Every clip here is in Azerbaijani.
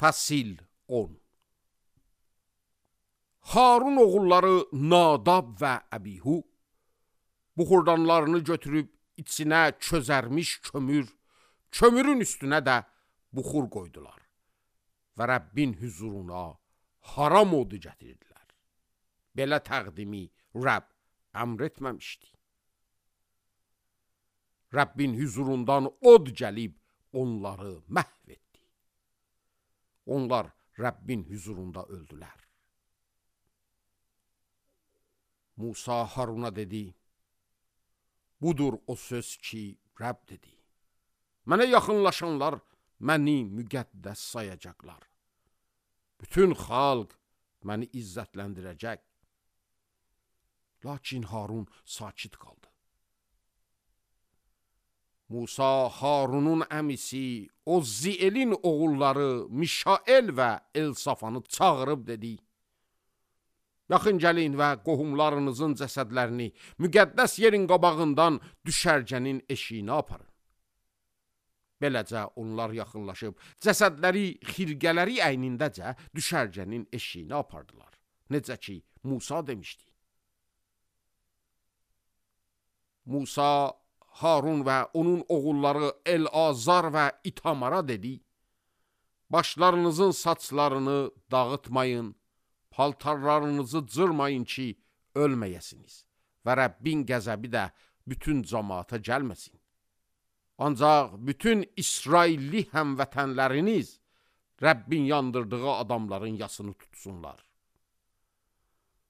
Fəsil 10. Harun oğulları Nadab və Əbihu buxurdanlarını götürüb içinə çözərmiş kömürün üstünə də buxur qoydular və Rəbbin hüzuruna haram odu gətirdilər. Belə təqdimi Rəbb əmr etməmişdi. Rəbbin hüzurundan od gəlib onları məhv etdi. Onlar Rəbbin hüzurunda öldülər. Musa Haruna dedi, budur o söz ki Rəbb dedi. Mənə yaxınlaşanlar məni müqəddəs sayacaqlar. Bütün xalq məni izzətləndirəcək. Lakin Harun sakit qaldı. Musa Harunun əmisi Ozzielin oğulları Mişael və Elsafanı çağırıb dedi, yaxın gəlin və qohumlarınızın cəsədlərini müqəddəs yerin qabağından düşərgənin eşiyinə aparın. Beləcə onlar yaxınlaşıb cəsədləri xirqələri əynindəcə düşərgənin eşiyinə apardılar. Necə ki Musa demişdi. Musa Harun və onun oğulları El-Azar və İtamara dedi, başlarınızın saçlarını dağıtmayın, paltarlarınızı cırmayın ki, ölməyəsiniz və Rəbbin qəzəbi də bütün cəmaata gəlməsin. Ancaq bütün İsrailli həmvətənləriniz Rəbbin yandırdığı adamların yasını tutsunlar.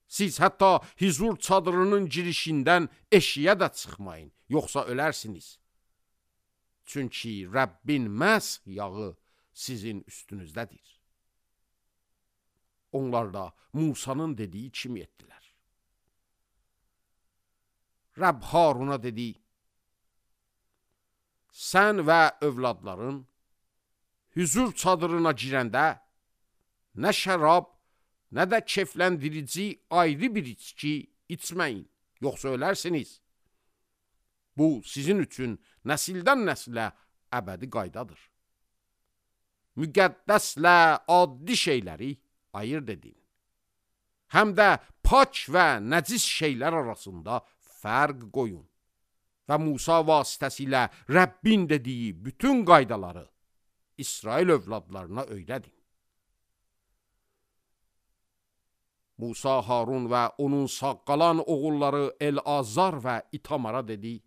Siz hətta hizur çadırının girişindən eşiyə də çıxmayın, yoxsa ölərsiniz. Çünki Rəbbin məhz yağı sizin üstünüzdədir. Onlar da Musanın dediyi kimi etdilər. Rəbb Haruna dedi, sən və övladların hüzur çadırına girəndə nə şərab, nə də kefləndirici ayrı bir içki içməyin, yoxsa ölərsiniz. Bu sizin üçün nəsildən nəsilə əbədi qaydadır. Müqəddəslə addi şeyləri ayırt edin. Həm də pak və nəcis şeylər arasında fərq qoyun. Və Musa vasitəsilə Rəbbin dediyi bütün qaydaları İsrail övladlarına öyrədin. Musa Harun və onun sağ qalan oğulları El-Azar və İtamara dedi,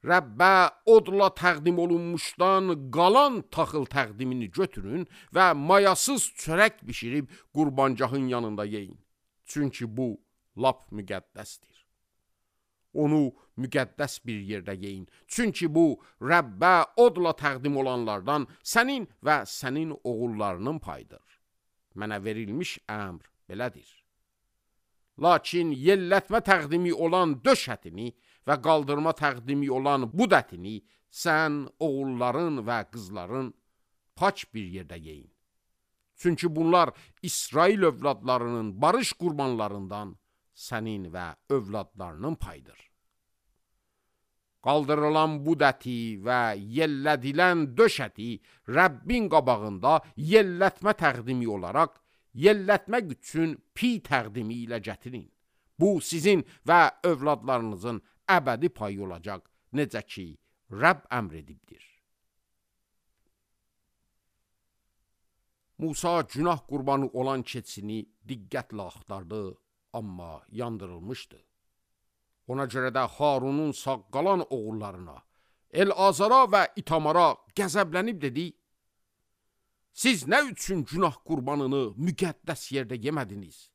Rəbbə odla təqdim olunmuşdan qalan taxıl təqdimini götürün və mayasız çörək bişirib qurbancahın yanında yeyin. Çünki bu lap müqəddəsdir. Onu müqəddəs bir yerdə yeyin. Çünki bu Rəbbə odla təqdim olanlardan sənin və sənin oğullarının payıdır. Mənə verilmiş əmr belədir. Lakin yellətmə təqdimi olan döş ətini və qaldırma təqdimi olan bud ətini sən oğulların və qızların pak bir yerdə yeyin. Çünki bunlar İsrail övladlarının barış qurbanlarından sənin və övladlarının payıdır. Qaldırılan bud əti və yellədilən döş əti Rəbbin qabağında yellətmə təqdimi olaraq yellətmək üçün pi təqdimi ilə gətirin. Bu sizin və övladlarınızın əbədi payı olacaq, necə ki Rəbb əmr edibdir. Musa günah qurbanı olan keçini diqqətlə axtardı, amma yandırılmışdı. Ona görə də Harunun sağ qalan oğullarına, El-Azara və İtamara qəzəblənib dedi, siz nə üçün günah qurbanını müqəddəs yerdə yemədiniz?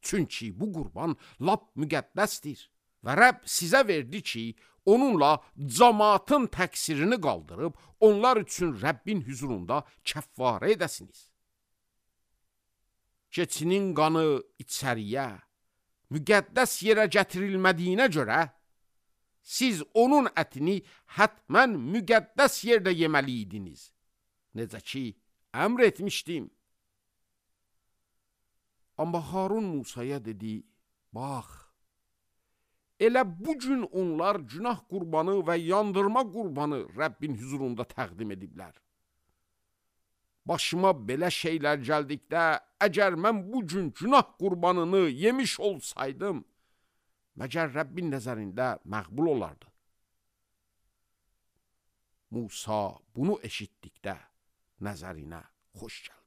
Çünki bu qurban lap müqəddəsdir və Rəbb sizə verdi ki, onunla cəmaatın təqsirini qaldırıb, onlar üçün Rəbbin hüzurunda kəffarə edəsiniz. Keçinin qanı içəriyə, müqəddəs yerə gətirilmədiyinə görə, siz onun ətini hətmən müqəddəs yerdə yeməliydiniz. Necə ki, əmr etmişdim. Amma Harun Musaya dedi, bax, elə bugün onlar günah qurbanı və yandırma qurbanı Rəbbin hüzurunda təqdim ediblər. başıma belə şeylər gəldikdə, əgər mən bu gün günah qurbanını yemiş olsaydım, məgər Rəbbin nəzərində məqbul olardı. Musa bunu eşitdikdə nəzərinə xoş gəldi.